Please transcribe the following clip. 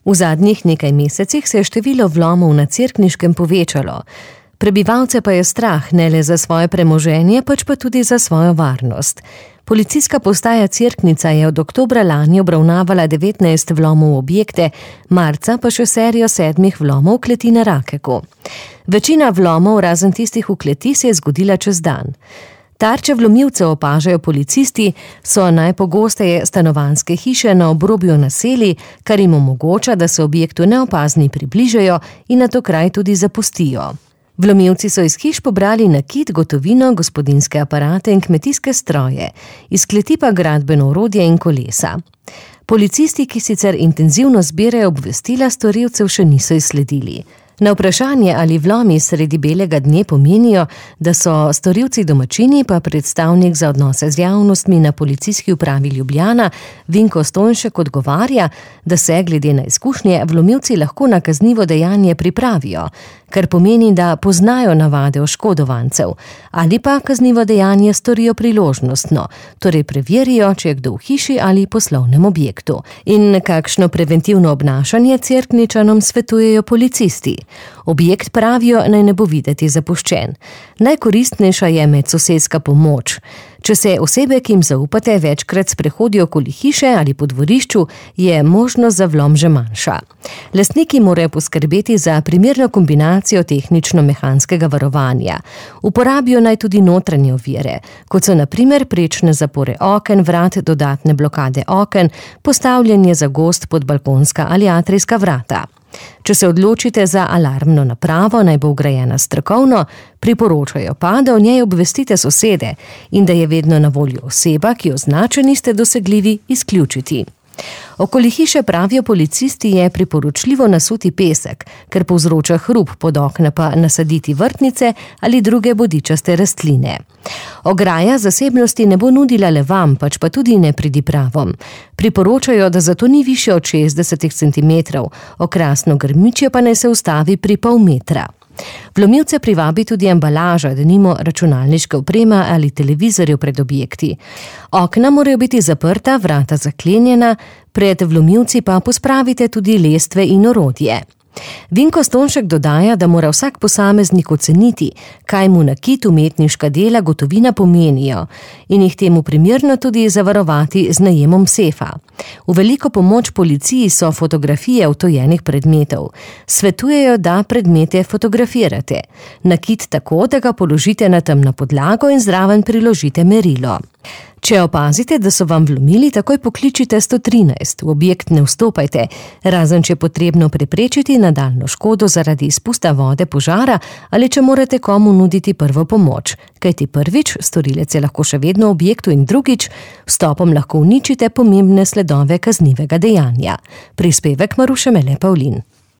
V zadnjih nekaj mesecih se je število vlomov na Cerkniškem povečalo. Prebivalce pa je strah ne le za svoje premoženje, pač pa tudi za svojo varnost. Policijska postaja Cerknica je od oktobra lani obravnavala 19 vlomov v objekte, marca pa še serijo 7 vlomov v kleti na Rakeku. Večina vlomov, razen tistih v kleti, se je zgodila čez dan. Tarče vlomilcev opažajo policisti, so najpogosteje stanovanjske hiše na obrobju naselij, kar jim omogoča, da se objektu neopazni približajo in nato kraj tudi zapustijo. Vlomilci so iz hiš pobrali nakit, gotovino, gospodinjske aparate in kmetijske stroje, iz kleti pa gradbeno orodje in kolesa. Policisti, ki sicer intenzivno zbirajo obvestila, storilcev še niso izsledili. Na vprašanje, ali vlomi sredi belega dne pomenijo, da so storilci domačini, pa predstavnik za odnose z javnostmi na policijski upravi Ljubljana, Vinko Stojnšek, odgovarja, da se glede na izkušnje vlomilci lahko na kaznivo dejanje pripravijo, kar pomeni, da poznajo navade oškodovancev, ali pa kaznivo dejanje storijo priložnostno, torej preverijo, če je kdo v hiši ali poslovnem objektu. In kakšno preventivno obnašanje Cerkničanom svetujejo policisti. Objekt, pravijo, naj ne bo videti zapuščen. Najkoristnejša je medsosedska pomoč. Če se osebe, ki jim zaupate, večkrat sprehodijo okoli hiše ali po dvorišču, je možnost za vlom že manjša. Lastniki morajo poskrbeti za primerno kombinacijo tehnično-mehanskega varovanja. Uporabijo naj tudi notranje ovire, kot so na primer prečne zapore oken, vrat, dodatne blokade oken, postavljanje zagozd pod balkonska ali atrijska vrata. Če se odločite za alarmno napravo, naj bo vgrajena strokovno, priporočajo pa, da o njej obvestite sosede in da je vedno na voljo oseba, ki jo znače niste dosegljivi, izključiti. Okoli hiše, pravijo policisti, je priporočljivo nasuti pesek, ker povzroča hrup, pod okna pa nasaditi vrtnice ali druge bodičaste rastline. Ograja zasebnosti ne bo nudila le vam, pač pa tudi nepridipravom. Priporočajo, da zato ni više od 60 cm, okrasno grmičje pa naj se ustavi pri pol metra. Vlomilce privabi tudi embalaža, denimo računalniška oprema ali televizorjev pred objekti. Okna morajo biti zaprta, vrata zaklenjena, pred vlomilci pa pospravite tudi lestve in orodje. Vinko Stojnšek dodaja, da mora vsak posameznik oceniti, kaj mu nakit, umetniška dela, gotovina pomenijo in jih temu primerno tudi zavarovati z najemom sefa. V veliko pomoč policiji so fotografije odtujenih predmetov. Svetujejo, da predmete fotografirate. Nakit tako, da ga položite na temno podlago in zraven priložite merilo. Če opazite, da so vam vlomili, takoj pokličite 113, v objekt ne vstopajte, razen če je potrebno preprečiti nadaljnjo škodo zaradi izpusta vode, požara ali če morate komu nuditi prvo pomoč, kajti prvič, storilec je lahko še vedno v objektu in drugič, vstopom lahko uničite pomembne sledove kaznivega dejanja. Prispevek Maruše Mele Pavlin.